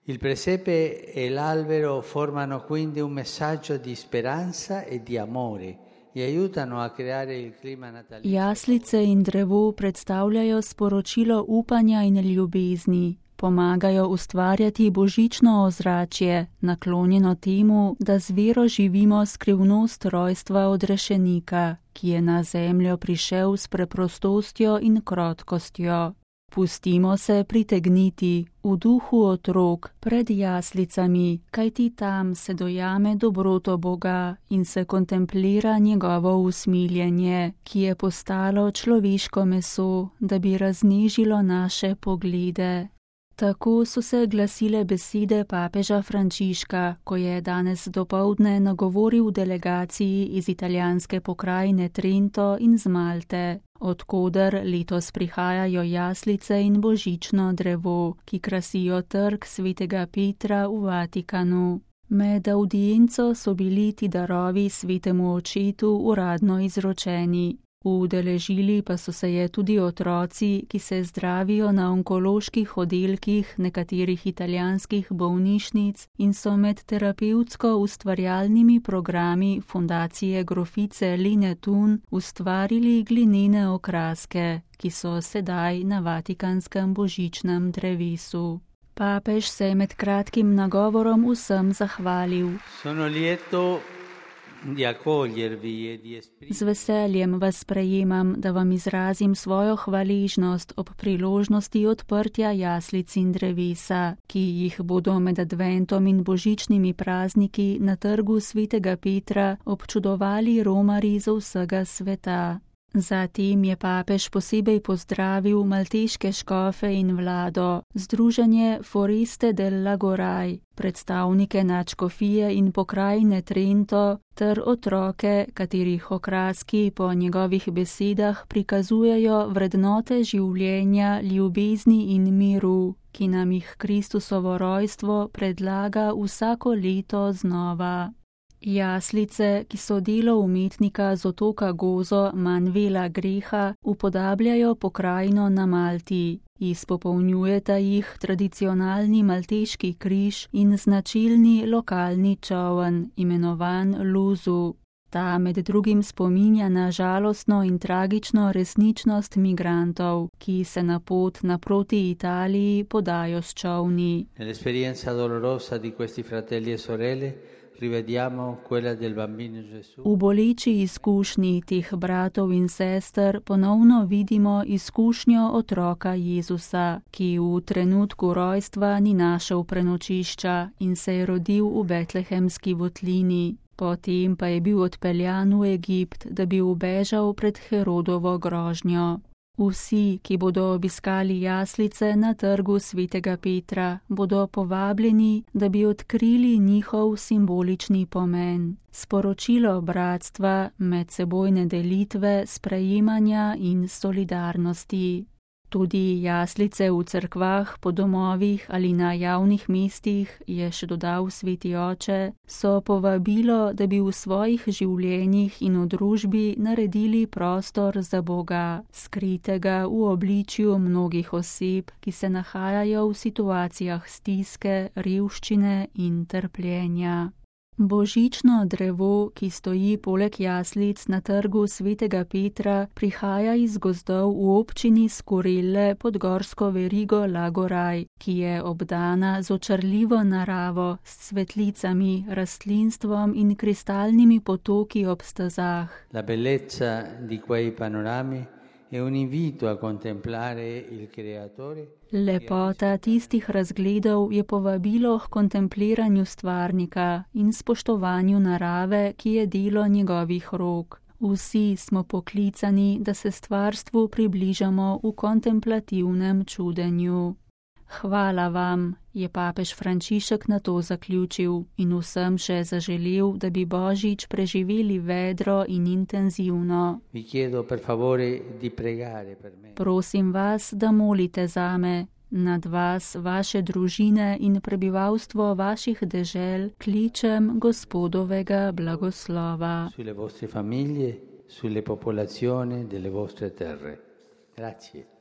Il presepe e l'albero formano quindi un messaggio di speranza e di amore e aiutano a creare il clima natalizio. Jaslice in drevo predstavljajo sporočilo upanja in ljubezni. Pomagajo ustvarjati božično ozračje, naklonjeno temu, da z vero živimo skrivnost rojstva odrešenika, ki je na zemljo prišel s preprostostjo in krotkostjo. Pustimo se pritegniti v duhu otrok pred jaslicami, kajti tam se dojame dobroto Boga in se kontemplira njegovo usmiljenje, ki je postalo človeško meso, da bi raznežilo naše poglede. Tako so se glasile besede papeža Frančiška, ko je danes dopoldne nagovoril delegaciji iz italijanske pokrajine Trento in z Malte, odkoder letos prihajajo jaslice in božično drevo, ki krasijo trg svetega Petra v Vatikanu. Med avdienco so bili ti darovi svetemu očetu uradno izročeni. Udeležili pa so se je tudi otroci, ki se zdravijo na onkoloških oddelkih nekaterih italijanskih bolnišnic in so med terapevtsko ustvarjalnimi programi Fundacije grofice Line Thun ustvarili glinene okraske, ki so sedaj na vatikanskem božičnem drevesu. Papež se je med kratkim nagovorom vsem zahvalil. Z veseljem vas sprejemam, da vam izrazim svojo hvaležnost ob priložnosti odprtja jaslic in drevesa, ki jih bodo med adventom in božičnimi prazniki na trgu svetega Petra občudovali romarji z vsega sveta. Zatem je papež posebej pozdravil malteške škofe in vlado, združenje Foreste del Lagoraj, predstavnike nadškofije in pokrajine Trento ter otroke, katerih okraski po njegovih besedah prikazujejo vrednote življenja, ljubezni in miru, ki nam jih Kristusovo rojstvo predlaga vsako leto znova. Jaslice, ki so delo umetnika z otoka Gozo Manuela Greha, upodabljajo pokrajino na Malti. Izpopolnjujeta jih tradicionalni malteški križ in značilni lokalni čoln, imenovan Luzu. Ta med drugim spominja na žalostno in tragično resničnost migrantov, ki se na pot naproti Italiji podajo s čolni. Nell'esperienza dolorosa di questi fratelli e sorelle rivediamo quella del bambino Gesù. V boleči izkušnji teh bratov in sester ponovno vidimo izkušnjo otroka Jezusa, ki v trenutku rojstva ni našel prenočišča in se je rodil v betlehemski votlini. Potem pa je bil odpeljan v Egipt, da bi ubežal pred Herodovo grožnjo. Vsi, ki bodo obiskali jaslice na trgu svetega Petra, bodo povabljeni, da bi odkrili njihov simbolični pomen. Sporočilo bratstva, medsebojne delitve, sprejemanja in solidarnosti. Tudi jaslice v cerkvah, po domovih ali na javnih mestih, je še dodal sveti oče, so povabilo, da bi v svojih življenjih in v družbi naredili prostor za Boga, skritega v obličju mnogih oseb, ki se nahajajo v situacijah stiske, revščine in trpljenja. Božično drevo, ki stoji poleg jaslic na trgu svetega Petra, prihaja iz gozdov v občini Skurelle pod gorsko verigo Lagoraj, ki je obdana z očarljivo naravo, s cvetlicami, rastlinstvom in kristalnimi potoki ob stezah. La bellezza di quei panorami è un invito a contemplare il Creatore. Lepota tistih razgledov je povabilo k kontempliranju stvarnika in spoštovanju narave, ki je delo njegovih rok. Vsi smo poklicani, da se stvarstvu približamo v kontemplativnem čudenju. Hvala vam, je papež Frančišek na to zaključil in vsem še zaželel, da bi Božič preživeli vedro in intenzivno. Prosim vas, da molite zame, nad vas, vaše družine in prebivalstvo vaših dežel kličem Gospodovega blagoslova. Sulle vostre famiglie, sulle popolazioni delle vostre terre. Grazie.